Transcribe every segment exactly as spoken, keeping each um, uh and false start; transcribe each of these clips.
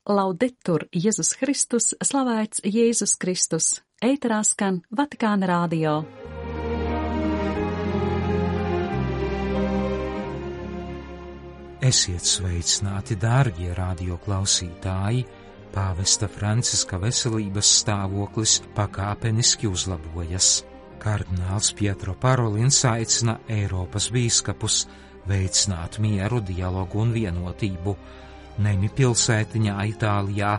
Laudetur Jēzus Kristus, slavēts Jēzus Kristus. Ēterā skan Vatikāna radio. Esiet sveicināti, dārgie radio klausītāji! Pāvesta Franciska veselības stāvoklis pakāpeniski uzlabojas. Kardināls Pietro Parolins aicina Eiropas bīskapus veicināt mieru, dialogu un vienotību. Nemi pilsētiņā Itālijā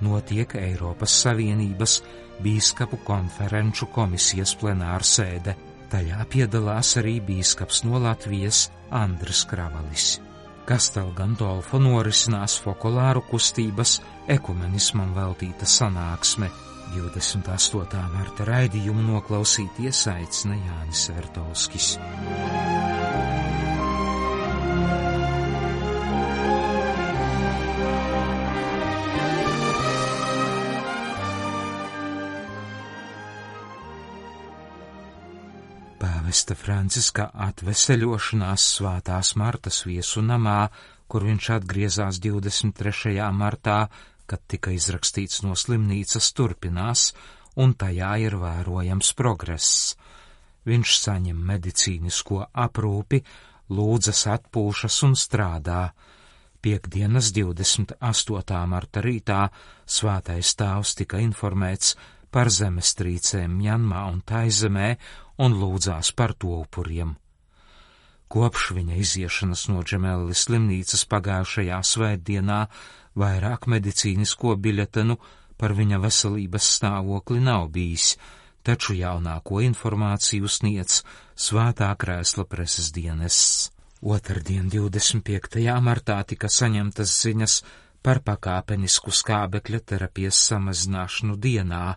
notiek Eiropas Savienības bīskapu konferenču komisijas plenārsēde. Tajā piedalās arī bīskaps no Latvijas Andris Kravalis. Kastel Gandolfo norisinās fokolāru kustības ekumenismam veltīta sanāksme. divdesmit astotā marta raidījumu noklausīties aicina Jānis Vertovskis. Pāvesta Franciska atveseļošanās Svētās Martas viesu namā, kur viņš atgriezās divdesmit trešajā martā, kad tika izrakstīts no slimnīcas, turpinās, un tajā ir vērojams progress. Viņš saņem medicīnisko aprūpi, lūdzas, atpūšas un strādā. Piektdienas divdesmit astotā marta rītā Svētais Tēvs tika informēts par zemestrīcēm Mjanmā un Taizemē un lūdzās par to upuriem. Kopš viņa iziešanas no Džemeli slimnīcas pagājušajā svētdienā vairāk medicīnisko biļetenu par viņa veselības stāvokli nav bijis, taču jaunāko informāciju sniedz Svētā Krēsla preses dienests. Otrdien divdesmit piektajā martā tika saņemtas ziņas par pakāpenisku skābekļa terapijas samazināšanu dienā.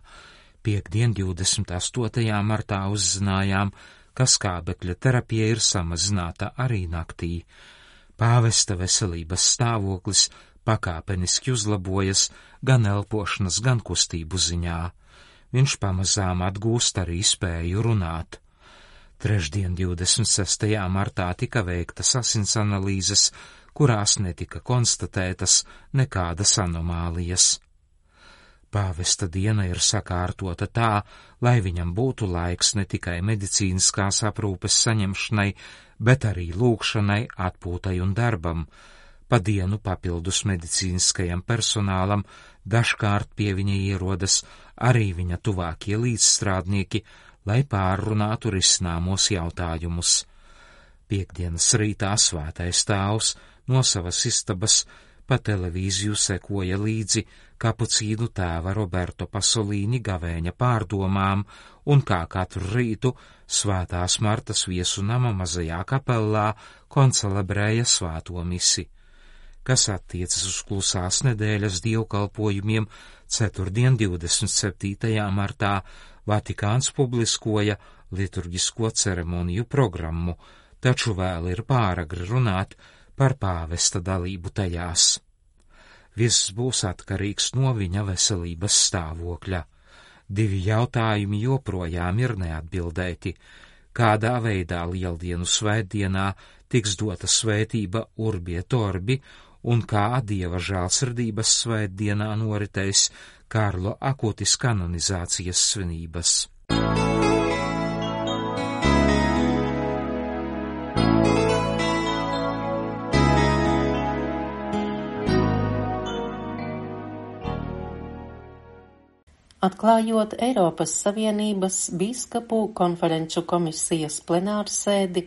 Piektdien divdesmit astotajā martā uzzinājām, ka skābekļa terapija ir samazināta arī naktī. Pāvesta veselības stāvoklis pakāpeniski uzlabojas gan elpošanas, gan kustību ziņā. Viņš pamazām atgūst arī spēju runāt. Trešdien divdesmit sestajā martā tika veiktas asins analīzes, kurās netika konstatētas nekādas anomālijas. Pāvesta diena ir sakārtota tā, lai viņam būtu laiks ne tikai medicīniskās aprūpes saņemšanai, bet arī lūgšanai, atpūtai un darbam. Pa dienu papildus medicīniskajam personālam dažkārt pie viņa ierodas arī viņa tuvākie līdzstrādnieki, lai pārrunātu risināmos jautājumus. Piektdienas rītā Svētais Tēvs no savas istabas pa televīziju sekoja līdzi kapucīnu tēva Roberto Pasolīni gavēņa pārdomām un kā katru rītu Svētās Martas viesu nama mazajā kapellā koncelebrēja svēto misi. Kas attiecas uz klusās nedēļas dievkalpojumiem, ceturtdien divdesmit septītajā martā Vatikāns publiskoja liturģisko ceremoniju programmu, taču vēl ir pāragri runāt par pāvesta dalību tajās. Viss būs atkarīgs no viņa veselības stāvokļa. Divi jautājumi joprojām ir neatbildēti. Kādā veidā Lieldienu svētdienā tiks dota svētība Urbi et Orbi un kā Dieva žēlsirdības svētdienā noritēs Karlo Akutis kanonizācijas svinības. Atklājot Eiropas Savienības bīskapu konferenču komisijas plenārsēdi,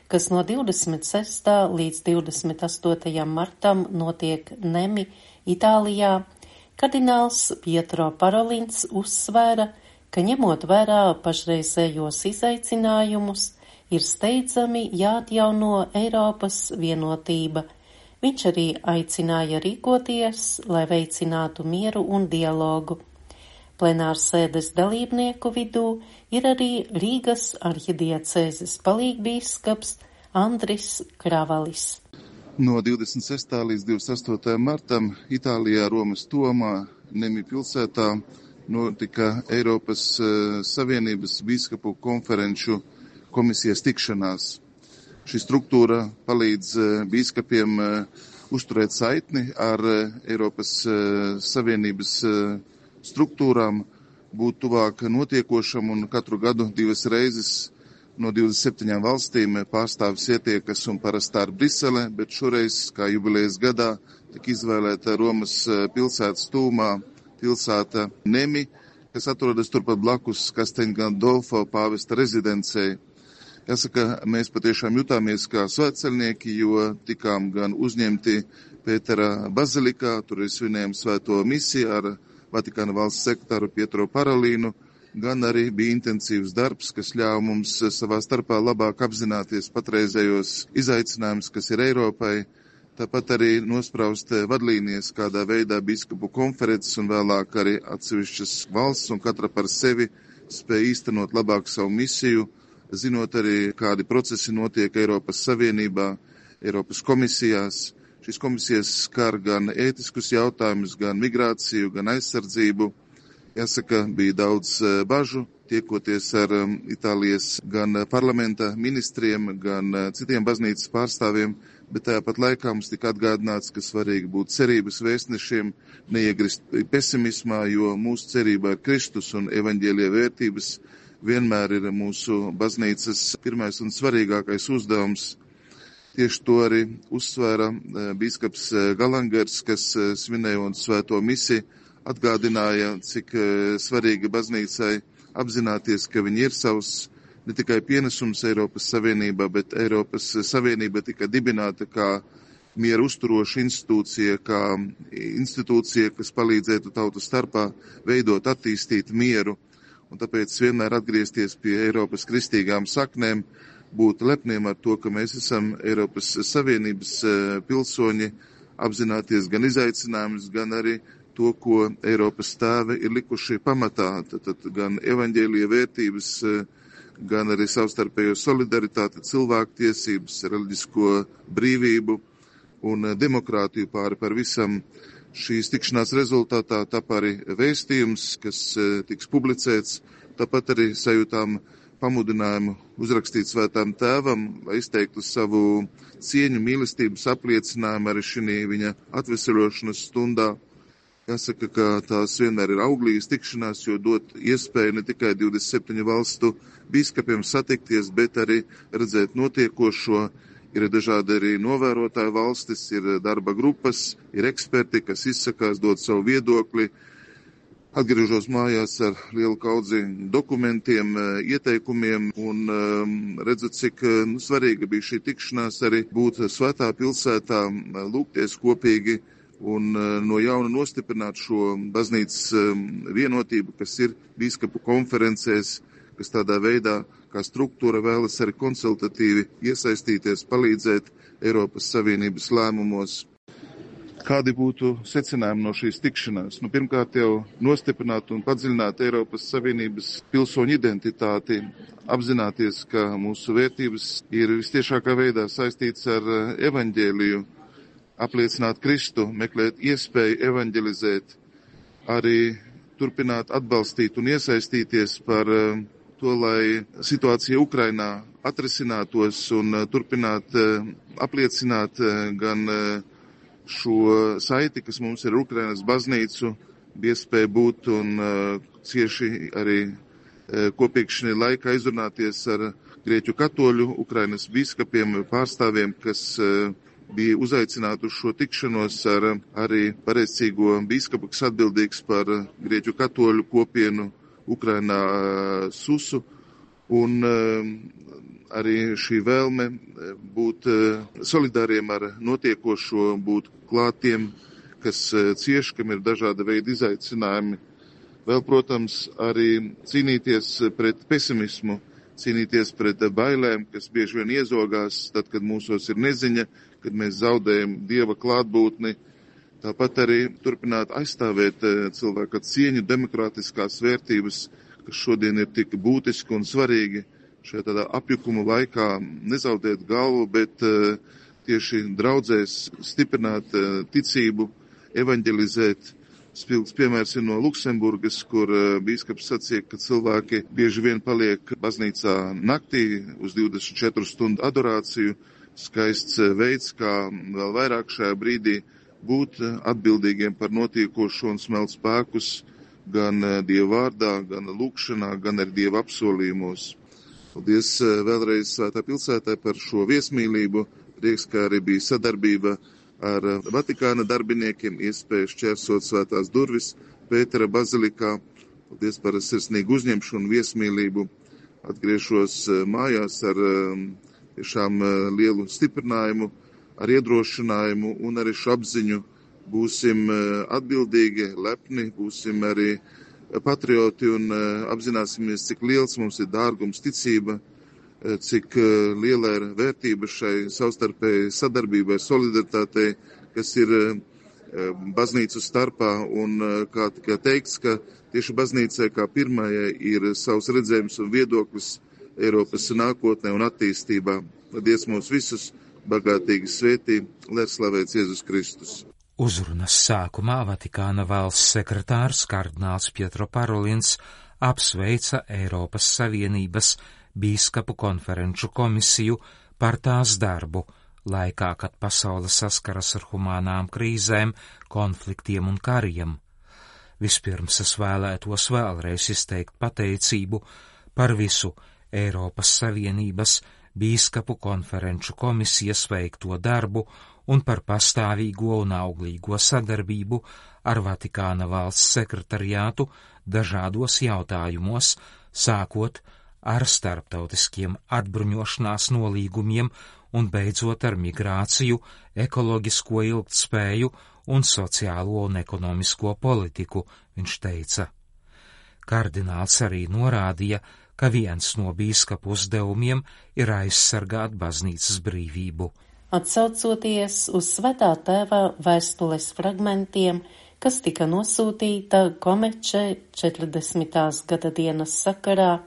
kas no divdesmit sestā līdz divdesmit astotajam martam notiek Nemi, Itālijā, kardināls Pietro Parolins uzsvēra, ka ņemot vērā pašreizējos izaicinājumus, ir steidzami jāatjauno Eiropas vienotība. Viņš arī aicināja rīkoties, lai veicinātu mieru un dialogu. Plenārsēdes dalībnieku vidū ir arī Rīgas arhidiecēzes palīgbīskaps Andris Kravalis. No divdesmit sestā līdz divdesmit astotajam martam Itālijā Romas Tomā, Nemi pilsētā, notika Eiropas uh, Savienības bīskapu konferenču komisijas tikšanās. Šī struktūra palīdz uh, bīskapiem uh, uzturēt saitni ar Eiropas Savienības struktūrām, būt tuvāk notiekošam un katru gadu divas reizes no divdesmit septiņām valstīm pārstāvis ietiekas un parasti tā ir Brisele, bet šoreiz, kā jubilejas gadā, tika izvēlēta Romas pilsētas tūmā pilsēta Nemi, kas atrodas turpat blakus Castel Gandolfo pāvesta rezidencei. Jāsaka, mēs patiešām jutāmies kā svētceļnieki, jo tikām gan uzņemti Pētera bazilikā, tur ir svinējām svēto misiju ar Vatikāna valsts sekretāru Pietro Parolīnu, gan arī bija intensīvs darbs, kas ļāva mums savā starpā labāk apzināties patreizējos izaicinājumus, kas ir Eiropai, tāpat arī nospraust vadlīnijas, kādā veidā biskupu konferences un vēlāk arī atsevišķas valsts un katra par sevi spēja īstenot labāk savu misiju, zinot arī, kādi procesi notiek Eiropas Savienībā, Eiropas komisijās. Šīs komisijas skar gan ētiskus jautājumus, gan migrāciju, gan aizsardzību. Jāsaka, bija daudz bažu, tiekoties ar Itālijas gan parlamenta ministriem, gan citiem baznīcas pārstāvjiem, bet tāpat laikā mums tika atgādināts, ka svarīgi būt cerības vēstnešiem, neiegrist pesimismā, jo mūsu cerībā ir Kristus un evaņģēlija vērtības vienmēr ir mūsu baznīcas pirmais un svarīgākais uzdevums. Tieši to arī uzsvēra bīskaps Galangers, kas svinējot svēto misiju, atgādināja, cik svarīgi baznīcai apzināties, ka viņi ir savs ne tikai pienesums Eiropas Savienībā, bet Eiropas Savienība tika dibināta kā mieru uzturoša institūcija, kā institūcija, kas palīdzētu tautu starpā veidot, attīstīt mieru, un tāpēc vienmēr atgriezties pie Eiropas kristīgām saknēm, būt lepniem ar to, ka mēs esam Eiropas Savienības pilsoņi, apzināties gan izaicinājumus, gan arī to, ko Eiropas tēvi ir likuši pamatā, tad gan evaņģēlija vērtības, gan arī savstarpējo solidaritāti, cilvēktiesības, reliģisko brīvību un demokrātiju pāri par visam. Šīs tikšanās rezultātā tap arī vēstījums, kas tiks publicēts, tāpat arī sajūtām pamudinājumu uzrakstīt svētām tēvam, lai izteiktu savu cieņu, mīlestības apliecinājumu arī šī viņa atveseļošanas stundā. Jāsaka, ka tās vienmēr ir auglīgas tikšanās, jo dot iespēju ne tikai divdesmit septiņu valstu bīskapiem satikties, bet arī redzēt notiekošo. Ir dažādi arī novērotāju valstis, ir darba grupas, ir eksperti, kas izsakās, dod savu viedokli. Atgriežos mājās ar lielu kaudzi dokumentiem, ieteikumiem un um, redzu, cik nu, svarīga bija šī tikšanās arī būt svētā pilsētā, lūgties kopīgi un no jauna nostiprināt šo baznīcas vienotību, kas ir bīskapu konferencēs, kas tādā veidā, kā struktūra vēlas arī konsultatīvi iesaistīties, palīdzēt Eiropas Savienības lēmumos. Kādi būtu secinājumi no šīs tikšanās? Nu, pirmkārt jau nostiprināt un padziļināt Eiropas Savienības pilsoņu identitāti, apzināties, ka mūsu vērtības ir vistiešākā veidā saistītas ar evaņģēliju, apliecināt Kristu, meklēt iespēju evaņģelizēt, arī turpināt atbalstīt un iesaistīties par to, lai situācija Ukrainā atrisinātos un turpināt apliecināt gan šo saiti, kas mums ir Ukrainas baznīcu, bija iespēja būt un cieši arī kopīgšanai laikā izrunāties ar grieķu katoļu Ukrainas bīskapiem, pārstāvjiem, kas bija uzaicināti uz šo tikšanos ar arī pareizcīgo bīskapu, kas atbildīgs par grieķu katoļu kopienu Ukrainā Susu, un arī šī vēlme būt solidāriem ar notiekošo, būt klātiem, kas cieš, kam ir dažāda veida izaicinājumi. Vēl, protams, arī cīnīties pret pesimismu, cīnīties pret bailēm, kas bieži vien iezogās, tad, kad mūsos ir neziņa, kad mēs zaudējam Dieva klātbūtni. Tāpat arī turpināt aizstāvēt cilvēka cieņu, demokrātiskās vērtības, kas šodien ir tik būtiski un svarīgi. Šajā tādā apjukuma laikā nezaudēt galvu, bet tieši draudzēs stiprināt ticību, evaņģelizēt. Spilgts piemērs ir no Luksemburgas, kur bīskaps sacīja, ka cilvēki bieži vien paliek baznīcā naktī uz divdesmit četru stundu adorāciju, skaists veids, kā vēl vairāk šajā brīdī būt atbildīgiem par notiekošo un smelt spēkus gan Dieva vārdā, gan lūkšanā, gan ar Dieva apsolījumos. Paldies vēlreiz Svētā pilsētā par šo viesmīlību. Prieks, kā arī bija sadarbība ar Vatikāna darbiniekiem, iespēja šķērsot svētās durvis Pētera bazilikā. Paldies par sirsnīgu uzņemšanu, viesmīlību. Atgriežos mājās ar tiešām lielu stiprinājumu, ar iedrošinājumu un arī šo apziņu. Būsim atbildīgi, lepni, būsim arī patrioti un apzināsimies, cik liels mums ir dārgums ticība, cik liela ir vērtība šai savstarpēji sadarbībai, solidaritātei, kas ir baznīcu starpā. Un kā tikai teikts, ka tieši baznīcai kā pirmajai ir savs redzējums un viedoklis Eiropas nākotnē un attīstībā. Dievs mūs visus bagātīgi svētī, lai slavēts Jēzus Kristus. Uzrunas sākumā Vatikāna valsts sekretārs kardināls Pietro Parolins apsveica Eiropas Savienības bīskapu konferenču komisiju par tās darbu, laikā, kad pasaule saskaras ar humānām krīzēm, konfliktiem un kariem. Vispirms es vēlētos vēlreiz izteikt pateicību par visu Eiropas Savienības bīskapu konferenču komisijas veikto darbu un par pastāvīgo un auglīgo sadarbību ar Vatikāna valsts sekretariātu dažādos jautājumos, sākot ar starptautiskiem atbruņošanās nolīgumiem un beidzot ar migrāciju, ekoloģisko ilgtspēju un sociālo un ekonomisko politiku, viņš teica. Kardināls arī norādīja, ka viens no bīskapu uzdevumiem ir aizsargāt baznīcas brīvību. Atsaucoties uz Svētā tēva vēstules fragmentiem, kas tika nosūtīta Komeče četrdesmitās gada dienas sakarā,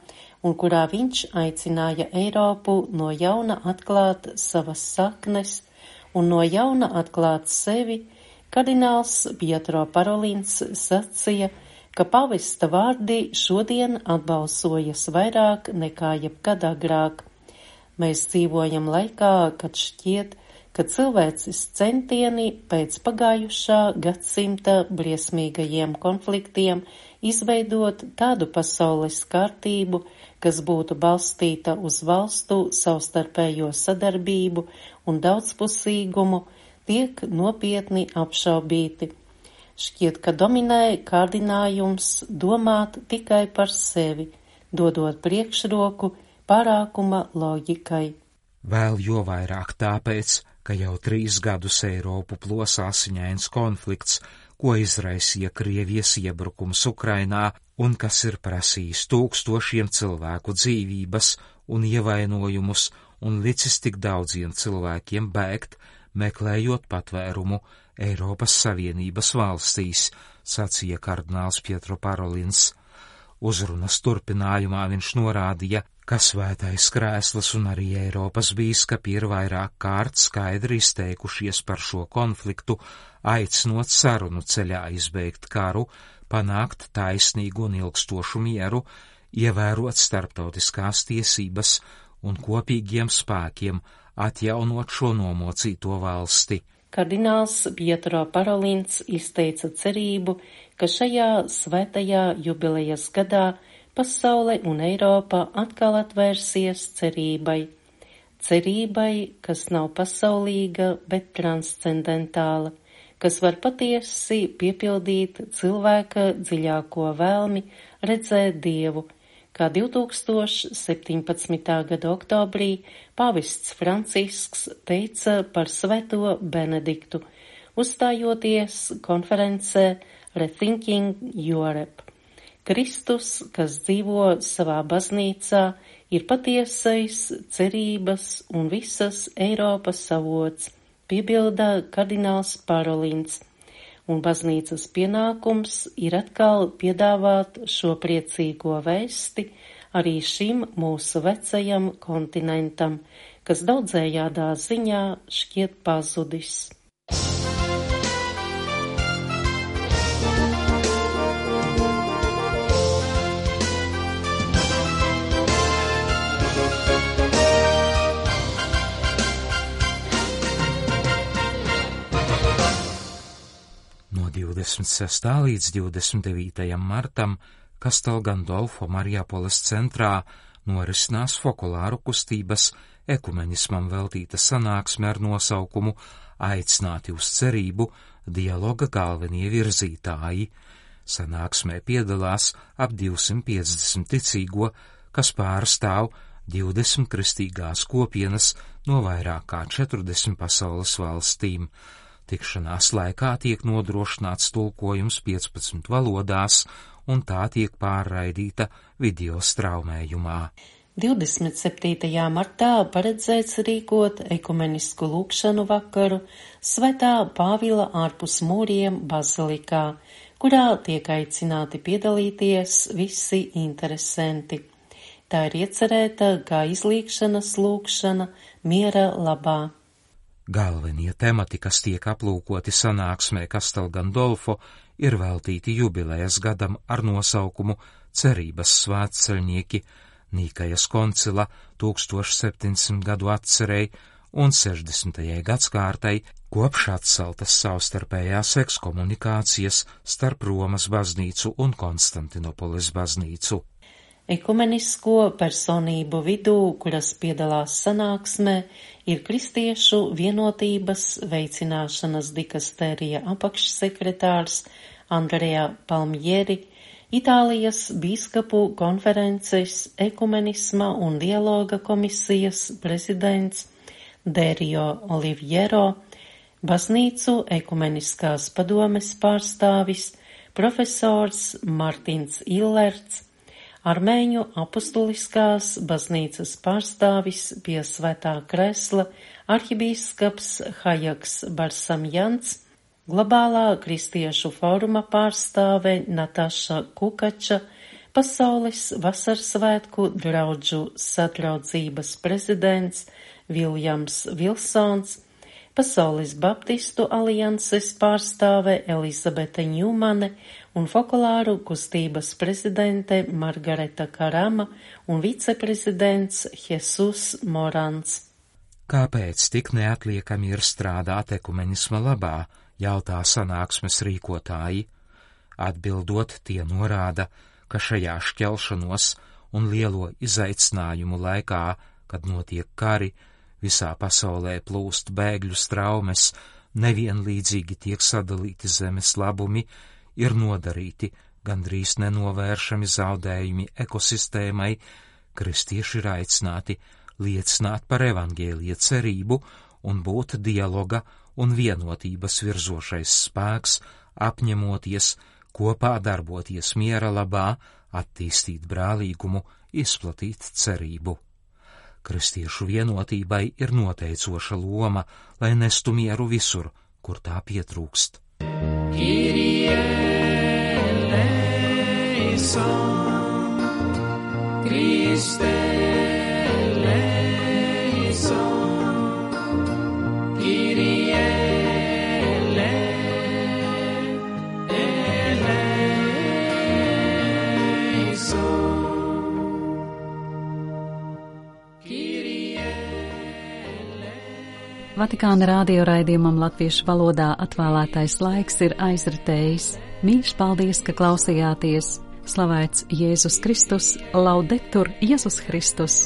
un kurā viņš aicināja Eiropu no jauna atklāt savas saknes un no jauna atklāt sevi, kardināls Pietro Parolins sacīja, ka pavesta vārdi šodien atbalsojas vairāk nekā jebkad agrāk. Mēs dzīvojam laikā, kad šķiet, ka cilvēces centieni pēc pagājušā gadsimta briesmīgajiem konfliktiem izveidot tādu pasaules kārtību, kas būtu balstīta uz valstu savstarpējo sadarbību un daudzpusīgumu, tiek nopietni apšaubīti. Šķiet, ka dominē kārdinājums domāt tikai par sevi, dodot priekšroku pārākuma loģikai. Vēl jo vairāk tāpēc, ka jau trīs gadus Eiropu plos asiņains konflikts, ko izraisīja Krievijas iebrukums Ukrainā un kas ir prasījis tūkstošiem cilvēku dzīvības un ievainojumus un licis tik daudziem cilvēkiem bēgt, meklējot patvērumu Eiropas Savienības valstīs, sacīja kardināls Pietro Parolins. Uzrunas turpinājumā viņš norādīja, ka Svētais Krēsls un arī Eiropas bīskapi ir vairāk kārt skaidri izteikušies par šo konfliktu, aicinot sarunu ceļā izbeigt karu, panākt taisnīgu un ilgstošu mieru, ievērot starptautiskās tiesības un kopīgiem spēkiem atjaunot šo nomocīto valsti. Kardināls Pietro Parolins izteica cerību, ka šajā svētajā jubilejas gadā pasaule un Eiropa atkal atvērsies cerībai. Cerībai, kas nav pasaulīga, bet transcendentāla, kas var patiesi piepildīt cilvēka dziļāko vēlmi redzēt Dievu, kā divtūkstoš septiņpadsmitā gada oktobrī pāvests Francisks teica par Svēto Benediktu, uzstājoties konferencē Rethinking Europe. Kristus, kas dzīvo savā baznīcā, ir patiesais cerības un visas Eiropas avots, piebilda kardināls Parolins, un baznīcas pienākums ir atkal piedāvāt šo priecīgo vēsti arī šim mūsu vecajam kontinentam, kas daudzējādā ziņā šķiet pazudis. divdesmit sestā līdz divdesmit devītajam martam Castel Gandolfo Marijapoles centrā norisinās fokulāru kustības ekumenismam veltīta sanāksme ar nosaukumu Aicināti uz cerību dialoga galvenie virzītāji. Sanāksmē piedalās ap divsimt piecdesmit ticīgo, kas pārstāv divdesmit kristīgās kopienas no vairāk kā četrdesmit pasaules valstīm. Tikšanās laikā tiek nodrošināts tulkojums piecpadsmit valodās, un tā tiek pārraidīta video straumējumā. divdesmit septītajā martā paredzēts rīkot ekumenisku lūgšanu vakaru Svētā Pāvila ārpus mūriem bazilikā, kurā tiek aicināti piedalīties visi interesanti. Tā ir iecerēta kā izlīgšanas lūgšana miera labā. Galvenie temati, kas tiek aplūkoti sanāksmē Castel Gandolfo, ir veltīti jubilejas gadam ar nosaukumu Cerības svētceļnieki, Nīkajas koncila tūkstoš septiņsimt gadu atcerei un sešdesmitajai gadskārtai kopš atceltas savstarpējās ekskomunikācijas starp Romas baznīcu un Konstantinopoles baznīcu. Ekumenisko personību vidū, kuras piedalās sanāksmē, ir Kristiešu vienotības veicināšanas dikastērija apakšsekretārs Andrea Palmieri, Itālijas bīskapu konferences ekumenisma un dialoga komisijas prezidents Derio Oliviero, baznīcu ekumeniskās padomes pārstāvis profesors Martins Illerts, Armēņu apustuliskās baznīcas pārstāvis pie Svētā kresla arhibīskaps Hajaks Barsamjans, globālā kristiešu fóruma pārstāve Nataša Kukača, pasaules vasarsvētku draudžu sadraudzības prezidents Viljams Vilsons, pasaules baptistu alianses pārstāve Elizabete Ņūmane un fokulāru kustības prezidente Margareta Karama un viceprezidents Jesus Morans. Kāpēc tik neatliekami ir strādāt ekumenisma labā, jautā sanāksmes rīkotāji. Atbildot, tie norāda, ka šajā šķelšanos un lielo izaicinājumu laikā, kad notiek kari, visā pasaulē plūst bēgļu straumes, nevienlīdzīgi tiek sadalīti zemes labumi, ir nodarīti gandrīz nenovēršami zaudējumi ekosistēmai, kristieši ir aicināti liecināt par evaņģēlija cerību un būt dialoga un vienotības virzošais spēks, apņemoties, kopā darboties miera labā, attīstīt brālīgumu, izplatīt cerību. Kristiešu vienotībai ir noteicoša loma, lai nestu mieru visur, kur tā pietrūkst. Kyrie eleison, Christe eleison, Kyrie Vatikāna radio raidījumam latviešu valodā atvēlētais laiks ir aizritējis. Mīļš paldies, ka klausījāties! Slavēts Jēzus Kristus, laudetur Jēzus Kristus!